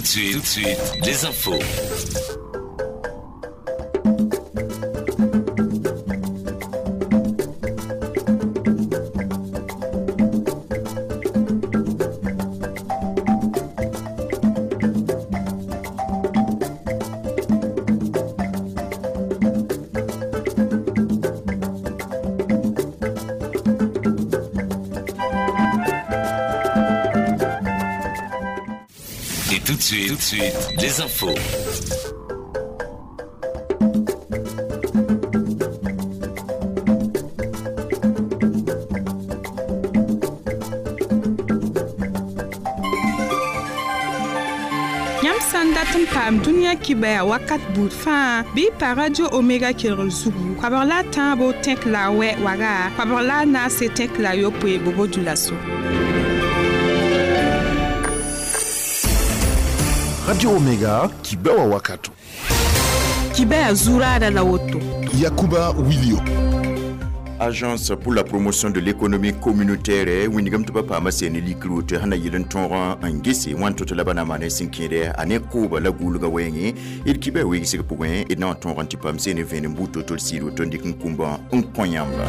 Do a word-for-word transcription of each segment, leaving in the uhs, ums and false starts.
de suite, tout de suite, les infos. Et tout de suite, tout de suite, les infos. Yãmb sã n dat n paam dũniyã kibaya wakat buud fãa bɩ y pa Radio Omega kelgr zugu koabg la a tãabo tẽk la a wɛ waga koabg la a naase tẽk la a yopoe bobo dulaso. Radio Omega Kibewa Wakato. Kibaya zuraada la woto. Yakuba Wilio. Agence pour la promotion de l'économie communautaire wingam tɩ ba paama seene likr woto sẽn na yɩl n tõog n gese wãn to tɩ la ba na maan sẽn kẽede a ne kooba la gʋʋlga wɛɛngẽ d kibã weegsg pʋgẽ d na n tõog n tɩ paam seene vẽenem buud to-to d sɩɩd woto n dɩk n kũmbã n kõ yãmba.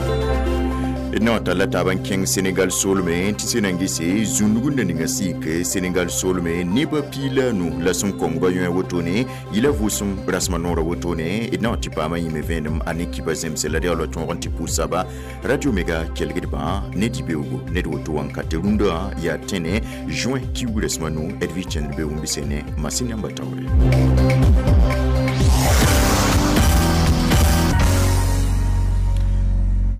D na n talla taab n kẽng Senegal soolmẽ tɩ sẽn na n gese zũndg n na ninga sɩɩk Senegal soolmẽ nebã piig la a nu la sẽn kong ba yõe wotone yɩla vʋʋsem rasmã noorã wotone d na n tɩ paama yĩme vẽenem a ne kiba zemse la d yaool tõog n tɩ pʋʋsaba Radio Omega kelgdbã ne dĩ-beoogo ned woto wãnkate rũndã yaa tẽne juin kiuug rasmã nu d vɩ kẽnd be wẽn ne masin yãmba taoore.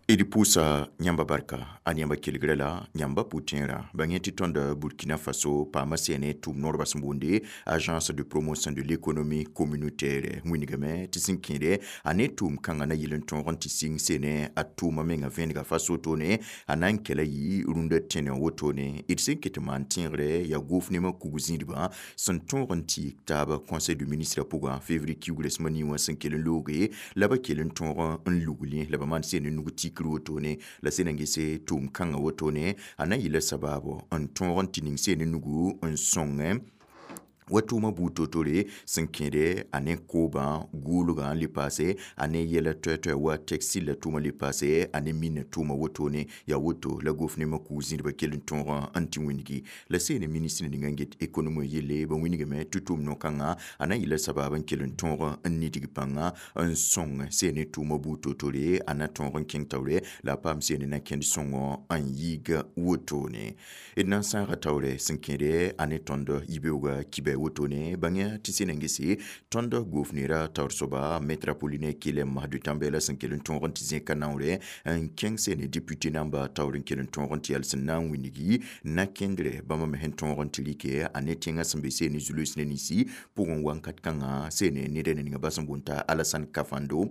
D pʋʋsa yãmba barka a yãmba kelgrã la yãmba pʋ-tẽerã ba yẽ tɩ tõnd Burkina Faso paama sẽne tʋʋm noorba sẽn boonde Agence de promotion de l'économie communautaire wĩnigame tɩ sẽn kẽede a ne tʋʋm kãngã na yɩl n tõog n tɩ sɩng sene a tʋʋma menga vẽenega fa sotone a na n kɛla yɩ rũndã tẽne wotone d sẽn ket n maan tẽegre yaa gʋʋf nemã kug zĩidbã sẽn tõog n tɩ taab conseil de ministre pʋgã février kiuug rasmã nii wã sẽn kell n looge la ba kell n tõog n luglẽ la ba maan sene nug tikr wotone la sẽn na n gese tʋʋm kãngã wotone a na n yɩla sabaabo n tõog n tɩ ning seen nugu n sõngẽ wa tʋʋmã buud to-tore sẽn kẽede a ne koobã gʋʋlgã n le paase a ne yɛla toɛ-toɛ wa textile la tʋʋmã le paase a ne minã tʋʋmã wotone yaa woto la gʋʋf nemã kug zĩidbã kell n tõog n tɩ wĩnigi la seene ministre ninga n get économie yelle ba wĩnigame tɩ tʋʋm no-kãngã a na n yɩla sabaab n kell n tõog n nidg pãnga n sõng seene tʋʋmã buud to-tore a na tõog n kẽng taoore la a paam seene na kẽnd sõngõ n yiig wotone d na n sãaga taoore sẽn kẽede a ne tõnd yibeooga kibɛ wotone bãngya tɩ sẽn na n gese tõnd gʋʋf neera taoor soaba maître Apollinaire Kelem Mahadu Tambela sẽn kell n tõog n tɩ zẽka naoore n kẽng seene député namba taoor n kell n tõog n tɩ yal sẽn na n wĩnigi na kẽndre bãmba me sẽn tõog n tɩ rɩke a ne tẽngã sẽn be seene zulus ne ninsi pʋgẽ wãnkat kãngã seene neda ninga ba sẽn boond t'a Alassane Kafando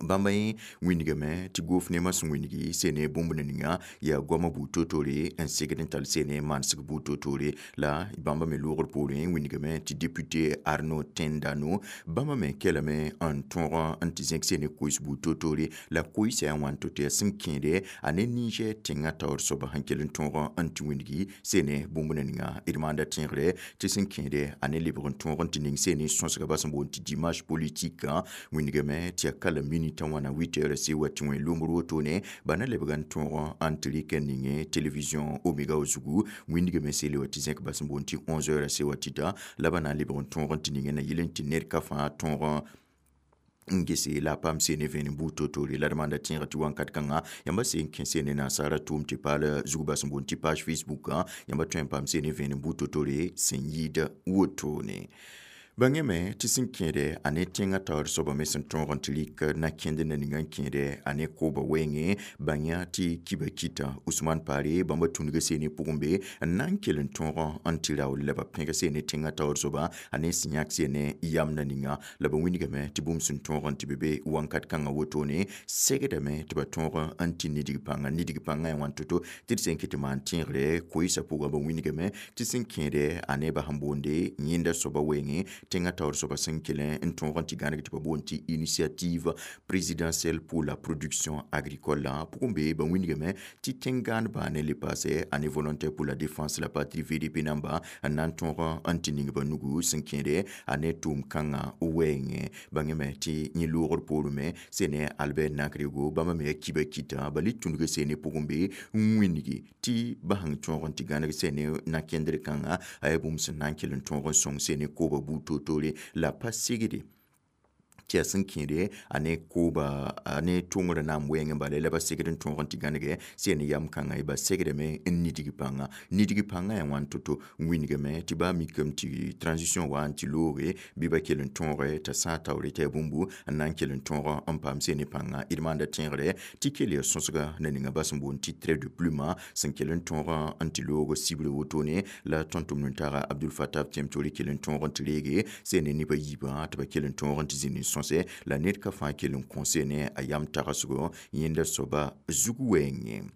bãmba yẽ wĩnigame tɩ gʋʋf nemã sẽn wĩnigi seene bũmb ninga yaa goamã buud to-tore n segd n tall seene manesg buud to-tore la bãmba me loogr poorẽ wĩnigame tɩ député Arnaud Tendano bãmba me kelame n tõog n tɩ zẽk seene koɩs buud to-tore la koɩsã yaa wãn to-to yaa sẽn kẽede a ne Niger tẽngã taoor soaba sẽn kell n tõog n tɩ wĩnigi seene bũmb ninga d maanda tẽegre tɩ sẽn kẽede a ne lebg n tõog n tɩ ning seene sõsga ba sẽn boond tɩ dimanche politique wĩnigame tɩ yaa kala minute wãna huit heures se wa tɩ wẽ lombr wotone ba na lebg n tõog n tɩ rɩk n ninge télévision Omega zugu wĩndigame seele wa tɩ zẽk bas n boond tɩ onze heures se wa tɩta la ba na n lebg n tõog n tɩ ninge na yɩl n tɩ ned ka fãa tõog n gese la a paam seene vẽenem buud to-tore la d maanda tẽega tɩ wãnkat kãngã yãmba seen kẽ seene nasaara tʋʋm tɩ paal zug bas n boond tɩ page Facebook yãmba tõe n paam seene vẽenem buud to-tore sẽn yɩɩd wotone. Bãngame tɩ sẽn kẽede a ne tẽngã taoor soaba me sẽn tõog n tɩ rɩk na kẽnd na ninga n kẽede a ne kooba wɛɛngẽ bãng tɩ kiba kɩta Ousmane Pare bãmba tũnugã seene pʋgẽ be n na n kell n tõog n tɩ raool la ba pẽg seene tẽngã taoor soaba a ne sẽn yãk seene yam na ninga la ba wĩnigame tɩ bũmb sẽn tõog n tɩ be be wãnkat kãngã wotone segdame tɩ ba tõog n tɩ nidg pãnga nidg pãngã yaa wãn to-to tɩ d sẽn kɩ tɩ maan tẽegre koɩsã pʋgã ba wĩnigame tɩ sẽn kẽede a ne ba sẽn boonde yẽnda soaba wɛɛngẽ tẽngã taoor soaba sẽn kell n tõog n tɩ gãneg tɩ ba boond tɩ initiative présidentielle pour la production agricole la pʋgẽ be ba wĩnigame tɩ tẽn-gãanbã ne le paase a ne volontaire pour la défense de la patrie V D P namba n na n tõog n tɩ ning ba nugu sẽn kẽede a ne tʋʋm-kãngã wɛɛngẽ bãngame tɩ yẽ loogr poorẽ me sẽn ne Albert Nakrego bãmba me yaa kiba kɩta ba le tũnug sẽn ne pʋgẽ be n wĩnigi tɩ ba sẽn tõog n tɩ gãneg sẽn ne na-kẽndr kãngã a yaa bũmb sẽn na n kell n tõog n sõng sẽn ne kooba buud toor-toore la pa segde tɩ yaa sẽn kẽede a ne kooba a ne tʋngrã naam wɛɛngẽ bala la ba segd n tõog n tɩ gãnege sẽn ne yam kãngã ye ba segdame n nidg pãnga nidg pãngã yaa wãn to-to wĩnigame tɩ baa mikame tɩ transition wa n tɩ looge bɩ ba kell n tõoge t'a sã taoore t'a yaa bũmbu n na n kell n tõog n paam sẽn ne pãnga d maanda tẽegre tɩ kell yaa sõsga na ninga ba sẽn boond tɩ trait de plume sẽn kell n tõog n tɩ loog sibre wotone la tõnd tʋmd-n-taaga Abdul Fattah Tiemtore kell n tõog n tɩ reege sẽn ne nebã yiibã tɩ ba kell n tõog n tɩ zĩnd n sõs la ned ka fãa kell n kõse ne a yam tagsgo yẽnda soaba zug wɛɛngẽ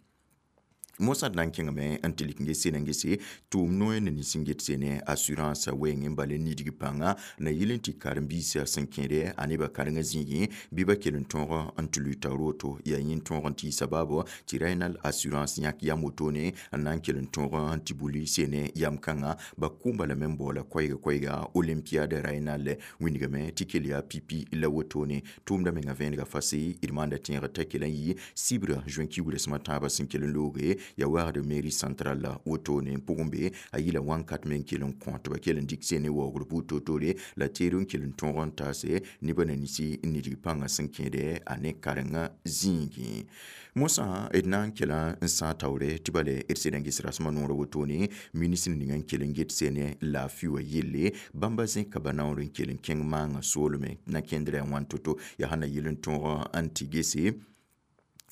mosã d na n kẽngame n tɩ lik n ges sẽn n gese tʋʋm noe ne nins n get sene assurance wɛɛngẽ n bal n nidg pãnga na yɩl n tɩ karen-biisã sẽn kẽede a nebã karengã zĩigẽ bɩ ba kell n tõog n tɩ lʋɩ taoor woto yaa yẽ tõog n tɩ sabaabo tɩ Rainal assurance yãk yam wotone n na n kell n tõog n tɩ buli sene yam kãngã ba kʋʋmba lame n baoola koɛɛga koɛɛga olympiade Rainal wĩnigame tɩ kell yaa pipi la wotone tʋʋmda menga vẽenega fase d maanda tẽegr t'a kell n yɩ sibra juin kiugrã sẽm a tãabã sẽn kell n looge ya waagd mairie centrale la wotone n pʋgẽ be a yɩla wãnkat me n kell n kõ tɩ ba kell n dɩk sene waoogr buud toor-toore la teer n kell n tõog n taase nebã na nisi n nidg pãngã sẽn kẽede a ne karengã zĩigẽ mosã d na n kela n sã taoore tɩ bale d sẽd n ges rasmã noorã wotone ministr ning n kell n get sene laafɩ wã yelle bãmba zẽka ba naoor n kell n kẽng maangã soolme na kẽndrã yaa wãn to-to yaa sã na yɩl n tõog n tɩ gese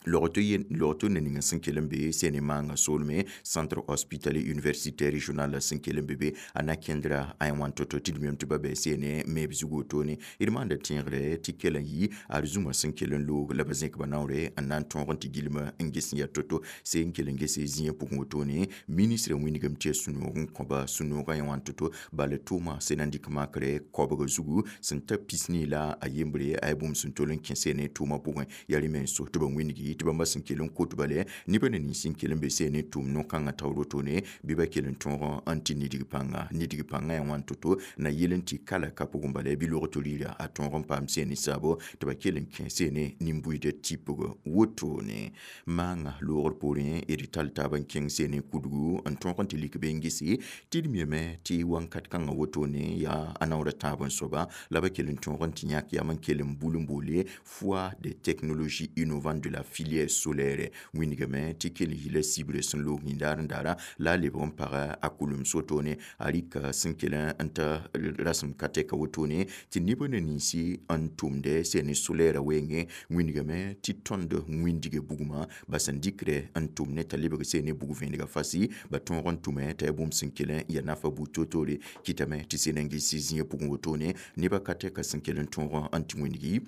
logto ne ninga sẽn kell n be sẽn ne maangã soolme centre hospitalier universitaire régional sẽn kell n be be a na kẽndra a wãn to-to tɩ d mem tɩ ba bɩ sẽn ne meeb zug wotone d maanda tẽegre tɩ kell n yɩ arzũmã sẽn kell n loog la ba zẽk ba naoore n na n tõog n tɩ gilma n ges n yaa to-to sẽn kell n gese zĩigã pʋgẽ wotone ministrã wĩnigame tɩ yaa sũ-noog n kõba sũ-noogã yã wãn to-to bala tʋʋma sẽn na n dɩk makrɛ koabga zugu sẽn ta pisnii la a yembre a yaa bũmb sẽn tol n kẽ sẽn ne tʋʋmã pʋgẽ yaa rẽ me n so tɩ ba wĩnigi tɩ bãmba sẽn kell n kot bale nebã na nins n kell n be sẽn ne tʋʋm no-kãngã taoor wotone bɩ ba kell n tõog n tɩ nidg pãnga nidg pãngã yaa wãn to-to na yɩl n tɩ kala ka pʋgẽ bala bɩ log tɩ rɩɩra a tõog n paam sẽn ne saabo tɩ ba kell n kẽ sẽn ne nin-buiidã tipg wotone maangã loogr poorẽ d tall taab n kẽng sẽn ne kudgu n tõog n tɩ lik be n gese tɩ d miame tɩ wãnkat kãngã wotone yaa a naoora tãab n soaba la ba kell n tõog n tɩ yãk yam n kell n bul n boole foire des technologies innovantes de la filière solaire wĩnigame tɩ kell n yɩla sibrã sẽn loog yĩndaar n daara la a lebg n paga a kulem sotone a rɩka sẽn kell n ta rasem ka tɛka wotone tɩ nebã na ninsi n tʋmdɛ sẽn ne solaire wɛɛngẽ wĩnigame tɩ tõnd wĩndiga bugmã ba sẽn dɩkdɛ n tʋm ne t'a lebg sẽn ne bug vẽenega fasi ba tõog n tʋme t'a yaa bũmb sẽn kell n yaa nafa buud toor-toore kɩtame tɩ sẽn n ges zĩigã pʋgẽ wotone nebã ka tɛka sẽn kell n tõog n tɩ wĩnigi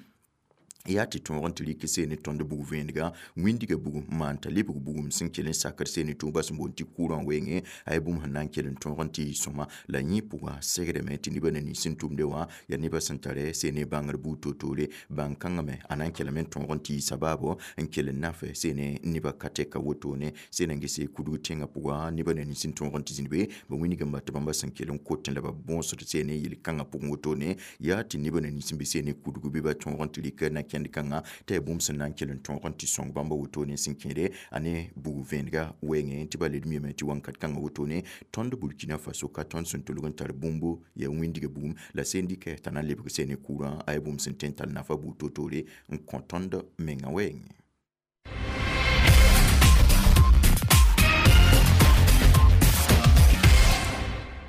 yaa tɩ tõog n tɩ rɩk seen ne tõnd bug vẽenega wĩndiga bugum n maan t'a lebg bugum sẽn kell n sakd seen ne tʋʋba sẽn boond tɩ courant wɛɛngẽ a yaa bũmb sẽn na n kell n tõog n tɩ sõma la yẽ pʋgã segdame tɩ nebã na nins sẽn tʋmde wã yaa nebã sẽn tara seen ne bãngr buud toor-toore bãn-kãngã me a na n kellame n tõog n tɩ sabaabo n kell n naf seen ne nebã ka tɛka wotone sẽn na n gese kudg tẽngã pʋgã nebã na nins sẽn tõog n tɩ zĩnd be ba wĩnigame tɩ bãmba sẽn kell n kotẽ la ba bõosd seen ne yel-kãngã pʋgẽ wotone yaa tɩ nebã na nins sẽn be seen ne kudg bɩ ba tõog n tɩ rɩk na kẽnd kãngã t'a yaa bũmb sẽn na n kell n tõog n tɩ sõng bãmba wotone sẽn kẽede a ne bug vẽenega wɛɛngẽ tɩ ba led miame tɩ wãnkat kãngã wotone tõnd Burkina Faso ka tõnd sẽn tolg n tar bũmbu yaa wĩndiga bugum la sẽn dɩkɛ t'a na n lebg sẽn ne courant a yaa bũmb sẽn tõe n tall nafa buud toor-toore n kõ tõnd mengã wɛɛngẽ.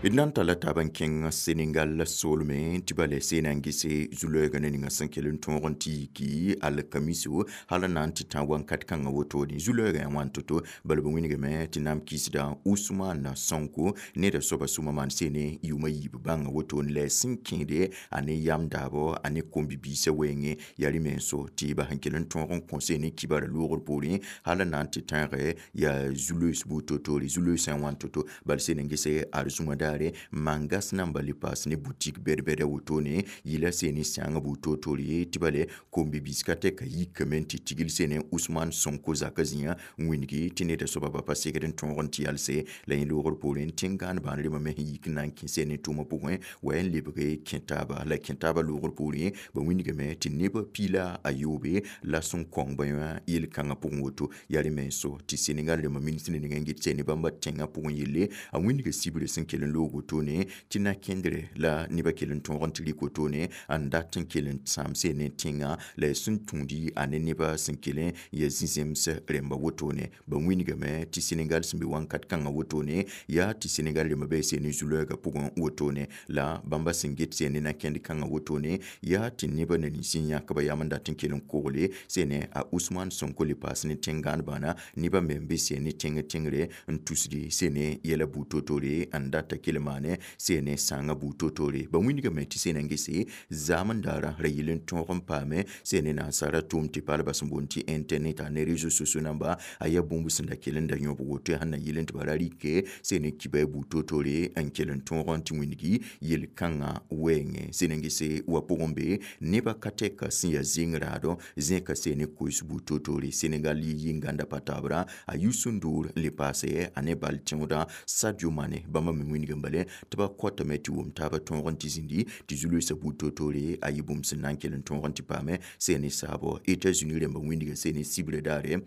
D na n talla taab n kẽng Senegal soolmẽ tɩ ba le seen n gese zu-loɛɛgã ne ninga sẽn kell n tõog n tɩ yiki alkamiso hal n na n tɩ tã wãnkat kãngã wotone zu-loɛɛgã yaa wãn to-to bala b wĩnigame tɩ naam kɩsda Ousmane Sonko neda soaba sũmã maan sene yʋʋma yiib bãngã wotone la sẽn kẽede a ne yam daabo a ne kom-bibiisã wɛɛngẽ yaa rẽ me n so tɩ ba sẽn kell n tõog n kõ sene kibara loogr poorẽ hal n na n tɩ tãege yaa zu-loees buud toor-toore zu-loeesã yaa wãn to-to bala seen n gese arzũmã daare mangas namba le paas ne boutique bɛd-bɛda wotone yɩla seene sãangã bu-toor-toor ye tɩ bale kom-bi-biis ka tɛka yikame n tɩ tigl sene Ousmane Sonko zaka zĩyã n wĩngi tɩ neda soaba ba pa segd n tõog n tɩ yalse la yẽ loogr poorẽ tẽn-gãan bãan rẽmbã me sẽn yik n na n kẽ sene tʋʋmã pʋgẽ wa n lebge kẽ taaba la kẽ taabã loogr poorẽ ba wĩndgame tɩ neb piila a yoobe la sẽn kõng ba yã yel-kãngã pʋgẽ woto yaa rẽ menso tɩ Senegal rẽmbã ministre ninga n get sene bãmba tẽngã pʋgẽ yelle a wĩndga sibrã sẽn kell n loog wotone tɩ na-kẽndre la nebã kell n tõog n tɩ rɩk wotone n dat n kell n sãam sene tẽngã la sẽn tũudi a ne nebã sẽn kell n ya zĩ-zems rẽmba wotone ba wĩndgame tɩ Senegal sẽn be wãnkat kãngã wotone yaa tɩ Senegal rẽmbã bɩ sene zu-loɛɛgã pʋgẽ wotone la bãmba sẽn get sene na-kẽnd kãngã wotone yaa tɩ nebã na nins n yãk ba yam n dat n kell n kogle sene a Ousmane Sonko le paas ne tẽn-gãan bãna nebã me n be sene tẽng tẽngre n tusdi sene yɛla buud toor-toore n data kell maane sene sãangã buud toor-toore ba wĩndgame tɩ sena n gese zaam n daara ra yɩl n tõog n paame sene nansara tʋʋm tɩ paalba sẽn boond tɩ internet a ne réseaux sociaux namba a yaa bũmb sẽn da kell n da yõbg woto sẽn na yɩl n tɩ ba ra rɩke sene kiba buud toor-toore n kell n tõog n tɩ wĩndgi yel-kãngã wɛɛngẽ sẽn n gese wa pʋgẽ be nebã ka tɛka sẽn yaa zeng raadɔ zẽka sene koes buud toor-toore Senegal yɩ yĩn-gãnda pa taabra a Youssou N'Dour n le paase a ne bal tẽodã Sadio Mane bãmba me wĩndg n bale tɩ ba kɔtame tɩ wʋm taabã tõog n tɩ zĩndi tɩ zu-loeesã buud toor-toore a yɩ bũmb sẽn na n kell n tõog n tɩ paame sene saabɔ États-Unis rẽmbã wĩndga sene sibrã daare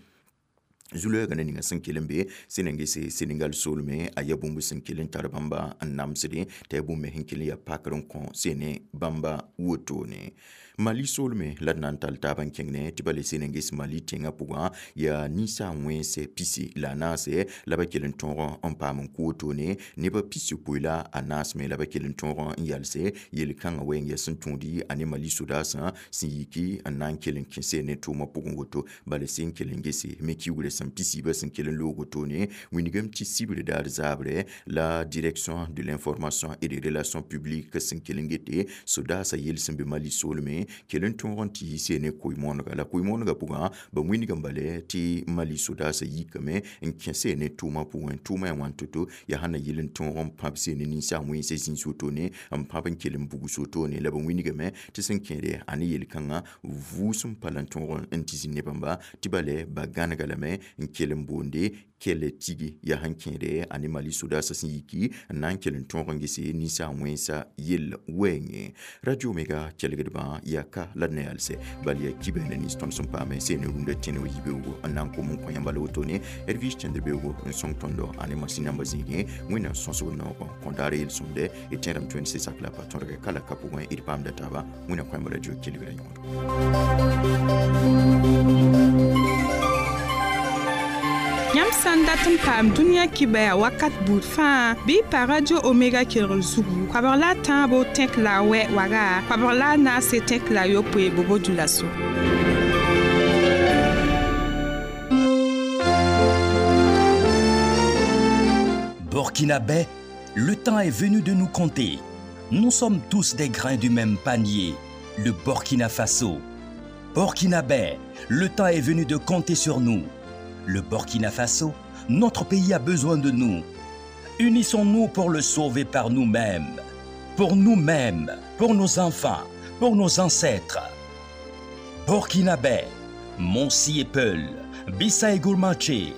zu-loɛɛgã na ninga sẽn kell n be sẽn na n gese Senegal soolmẽ a yaa bũmb sẽn kell n tar bãmba n namsdẽ t'a yaa bũmb me sẽn kell n yaa pakr n kõ sene bãmba wotone Mali soolmẽ la d na n tall taab n kẽng ne tɩ ba le sẽn n ges Mali tẽngã pʋgã yaa ninsaag wẽnse pisi la a naase la ba kell n tõog n paam n kʋ wotone nebã pis-yopoe la a naas me la ba kell n tõog n yalse yel-kãngã wɛɛng yaa sẽn tũudi a ne Mali sodaasã sẽn yiki n na n kell n kẽ sene tʋʋmã pʋgẽ woto bala sẽn kell n gese me kiugrã sẽn pisiibã sẽn kell n loog wotone wĩndgame tɩ sibr daar zaabrɛ la Direction de l'information et des relations publiques sẽn kell n gete sodaasã yel sẽn be Mali soolmẽ kell n tõog n tɩ yi sene koe-moonega la koe-moonegã pʋgã ba wĩndg n bale tɩ Mali sodaasã yikame n kẽ sene tʋʋmã pʋgẽ tʋʋmã yaa wãn to-to yaa sẽn na yɩl n tõog n pãb sene ninsaag wẽnsã zĩis wotone n pãb n kell n bugs wotone la ba wĩndgame tɩ sẽn kẽede a ne yel-kãngã vʋʋsem pa la n tõog n tɩ zĩ ne bãmba tɩ bale ba gãnega lame n kell n boonde kell tigi yaa sẽn kẽede a ne Mali sodaasã sẽn yiki n na n kell n tõog n gese ninsaag wẽnsã yell wɛɛngẽ Radio Omega kelgdbã yaa ka la d na yalsɛ bal yaa kibã na nins tõnd sẽn paame sene rũndã tẽne yibeoogo n na n kom n kõ yãmba la wotone Edwige tẽnd-beoogo n sõng tõndo a ne masĩn nambã zĩigẽ Wẽnnaam sõsg noogã kõ daar yel-sõmdɛ d tẽedame tõe n se sak la pa tõdgɛ ka la ka pʋgẽ d paamda taaba Wẽnnaam kõ yãmba radio kelgrã yõod Yãmb sã n dat n paam dũniyã kibaya wakat buud fãa bɩ y pa Radio Omega kelgr zugu koabg la a tãabo tẽk la a wɛ waga koabg la a naase tẽk la a yopoe bobo dulaso. Burkinabé, le temps est venu de nous compter. Nous sommes tous des grains du même panier, le Burkina Faso. Burkinabé, le temps est venu de compter sur nous. Le Burkina Faso, notre pays a besoin de nous. Unissons-nous pour le sauver par nous-mêmes, pour nous-mêmes, pour nos enfants, pour nos ancêtres. Burkinabé, Mossi et Peul, Bissa et Gourmaché,